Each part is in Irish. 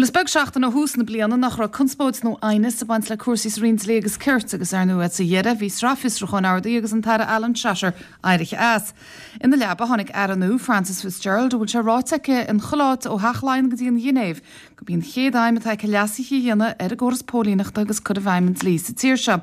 Bhuel, is beag seachtain ó thús na bliana nach raibh conspóid nó aighneas ag baint le cúrsaí sa Roinn Dlí agus Cirt agus, ar ndóigh, sa dheireadh bhí sraith fiosrúcháin ardaithe agus an tAire Alan Shatter éirithe as. Ina leaba tháinig Aire nua, Frances Fitzgerald, a bhfuil sé ráite aici in chuile áit ó Theach Laighean go dtí an Ghinéiv gurb í an chéad aidhm atá aici leasuithe a dhéanamh ar an gcóras póilíneachta agus cur i bhfeidhm an dlí sa tír seo.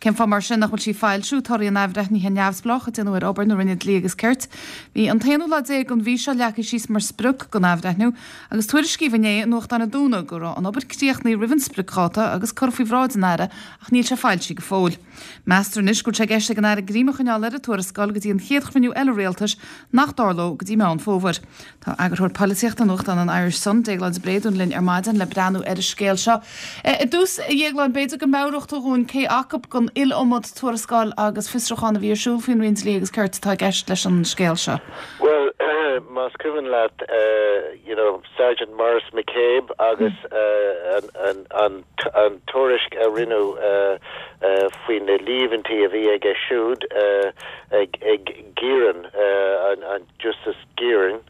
Cén fáth mar sin nach bhfuil sí ag foilsiú torthaí an athbhreithnithe neamhspleách a déanadh ar obair na Roinne Dlí agus Cirt? Bhí an t-aonú lá déag den mhí seo leagtha síos mar sprioc don athbhreithniú agus tuairiscíodh inné i nuachtán a dúnadh go raibh an obair críochnaithe roimh an spriocdháta agus curtha faoi bhráid an Aire ach níl sé foilsithe go fóill. Meastar anois go bhfuil sé i gceist ag an Aire greim a choinneáil ar an tuarascáil go dtí an chéad chruinniú eile rialtais nach dtarlóidh go dtí Meán Fómhair. Tá eagarthóir polaitíochta nuachtán an Irish Sun, Déaglán de Bréadún linn ar maidin le breathnú ar an scéal seo. I dtús, a Dhéagláin, b'fhéidir go meabhródh tú dhúinn cé acu den iliomad tuarascáil agus fiosrúchán a bhí ar siúl faoin Roinn Dlí agus Cirt atá i gceist leis an scéal seo. Bhuel, más cuimhin leat, you know, Sergeant Maurice McCabe agus an tuairisc a rinneadh faoi na líomhaintí a bhí aige siúd ag Gearan, an Justice Gearan,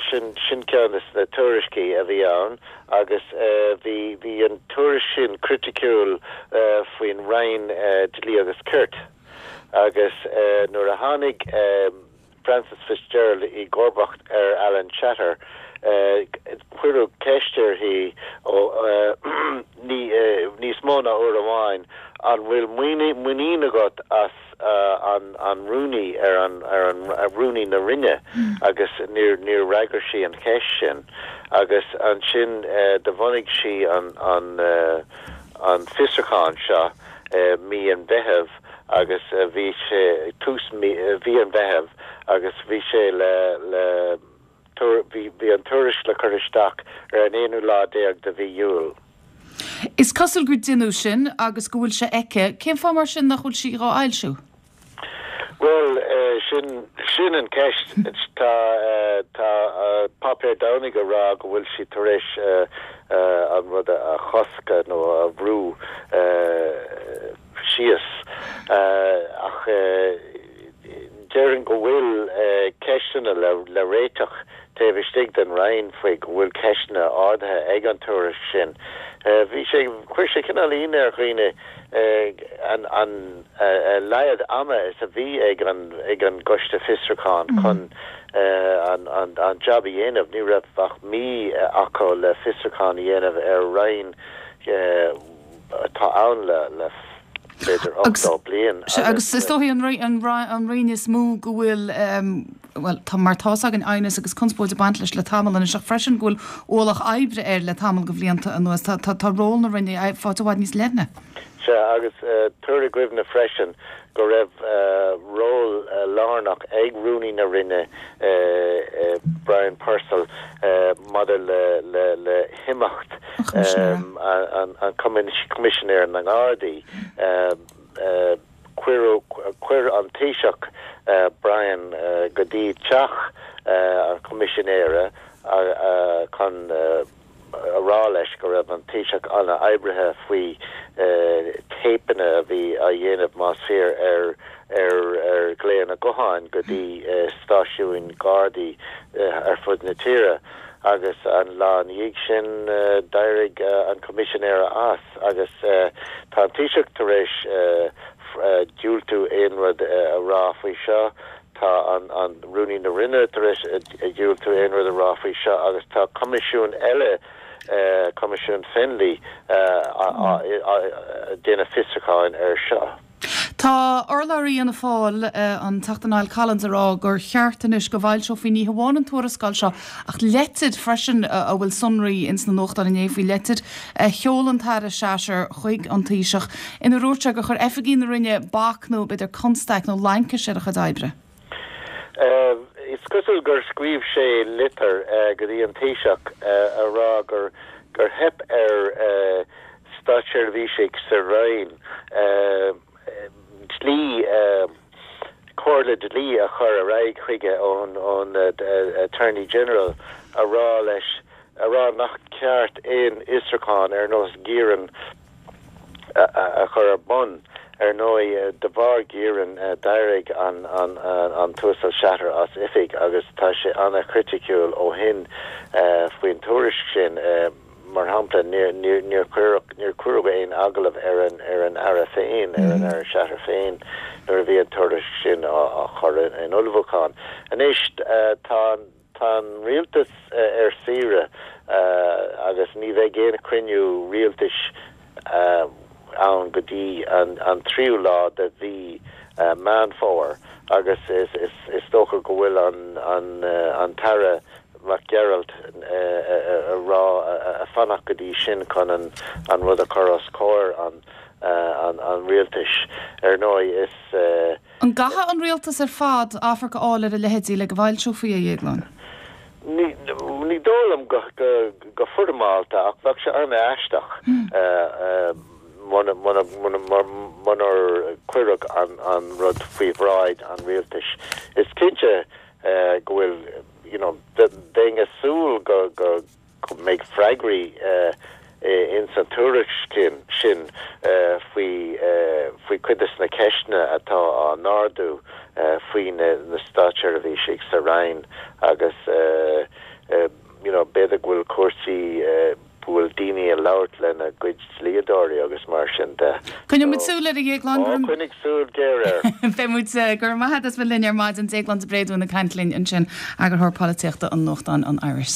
sin sin ceann de na tuairiscí a bhí ann agus bhí bhí an tuairisc sin criticiúil faoin Roinn Dlí agus Cirt agus nuair a tháinig Frances Fitzgerald i gcomharbacht ar Alan Shatter cuireadh ceist uirthi níos mó ná uair amháin an bhfuil muinín agat as an rúnaí ar an rúnaí na Roinne agus níor níor fhreagair sí an cheist sin agus ansin do bhunaigh sí an an an fiosrúchán seo mí an Mheithimh agus bhí sé tús mí an Mheithimh agus bhí sé le le bhí bhí an tuairisc le cur isteach ar an aonú lá déag de mhí Iúil. Is cosúil gur deineadh sin agus go bhfuil sé aici. Cén fáth mar sin nach bhfuil sí dhá fhoilsiú? Bhuel, sin, sin an ceist. Tá, tá páipéar Domhnaigh ag rá go bhfuil sí tar éis an rud a chosc nó a bhrú síos. Ach déarfainn go bhfuil ceisteanna le réiteach taobh istigh den Roinn faoi go bhfuil ceisteanna ardaithe ag an tuairisc sin. Bhí sé, chuir sé cineál ionadh ar dhaoine an an a laghad ama is a bhí ag an ag an gcoiste fiosrúcháin chun an an an jab a dhéanamh. Ní raibh ach mí acu le fiosrúchán a dhéanamh ar Roinn atá ann le le b'fhéidir 80 bliain agus. Agus is dóichí an Roinn is mó go bhfuil, bhuel, tá, mar tá's againn, aighneas agus conspóid ag baint leis le tamall anois ach freisin go bhfuil ualach oibre air le tamall de bhlianta anuas. Tá, tá, tá ról na Roinne faighte i bhfad níos leithne. Sea, agus tabhair i gcuimhne freisin go raibh ról lárnach ag Rúnaí na Roinne, Brian Purcell, maidir le himeacht an Choimisinéir na nGardaí. Chuir an Taoiseach Brian go dtí teach an Choimisinéara chun a rá leis go raibh an Taoiseach an-oibrithe faoi téipeanna a bhí á dhéanamh, más fíor, ar ar ghlaonna gutháin go dtí stáisiúin Ghardaí ar fud na tíre agus an lá ina dhiaidh sin d'éirigh an Coimisinéir as agus tá an Taoiseach tar éis diúltú aon rud a rá faoi seo. Tá an Rúnaí na Roinne tar éis diúltú aon rud a rá faoi seo agus tá coimisiún eile, Coimisiún Fennelly, ag déanamh fiosrúcháin air seo. Tá urlabhraí Fhianna Fáil, an Teachta Niall Collins, ag rá gur cheart anois go bhfoilseofaí ní hamháin an tuarascáil seo ach leitir freisin a bhfuil sonraí ins na nuachtáin inné faoi, leitir a sheol an tAire Shatter chuig an Taoiseach inar dhúirt sé gur chuir oifigigh na Roinne bac nó b'fhéidir constaic nó laincis ar a chuid oibre. Is cosúil gur scríobh sé litir go dtí an Taoiseach a rá gur gur theip ar státseirbhísigh sa Roinn dlí comhairle dlí a chur ar aghaidh chuige ón ón Attorney General a rá leis a rá nach ceart aon fhiosrúchán ar nós Gearan a chur ar bun. Ar ndóigh, de bharr Geiran, d'éirigh an tUasal Shatter as oifig agus tá sé an-chriticiúil ó shin faoin tuairisc sin. Mar shampla, níor cuireadh aon agallamh ar an Aire féin, ar an Aire Shatter féin, nuair a bhí an tuairisc sin á chur in ullmhúchán. Anois, tá an. Tá an rialtas ar saoire agus ní bheidh aon chruinniú rialtais ann go dtí an tríú lá de mhí Meán Fómhair agus is dócha go bhfuil an tAire Mac Gearailt ag rá fanacht go dtí sin chun an rud a chur os comhair an rialtais. Ar ndóigh is. An gcaithfidh an rialtas ar fad amharc a fháil ar a leithéidí le go bhfoilseofaí é, a Dhéagláin? Ní dóigh liom go foirmeálta ach bheadh sé an-aisteach munar cuireadh an rud faoi bhráid an rialtais. Is cinnte go bhfuil, you know, bheinn ag súil go go mbeidh freagraí ins an tuairisc sin faoi faoi chuid de na ceisteanna atá á n-ardú faoi na státseirbhísigh sa Roinn agus you know b'fhéidir go bhfuil cúrsaí go bhfuil daoine ag labhairt lena gcuid dlíodóirí agus mar sin de. Coinneoidh muid súil air a Dhéagláin, go raibh. Ó, coinnigh súil ghéar air. Beidh muid. Go raibh maith agat as bheith linn ar maidin. Déaglán de Bréadún ag caint linn ansin, Eagarthóir Polaitíochta an nuachtáin An Irish.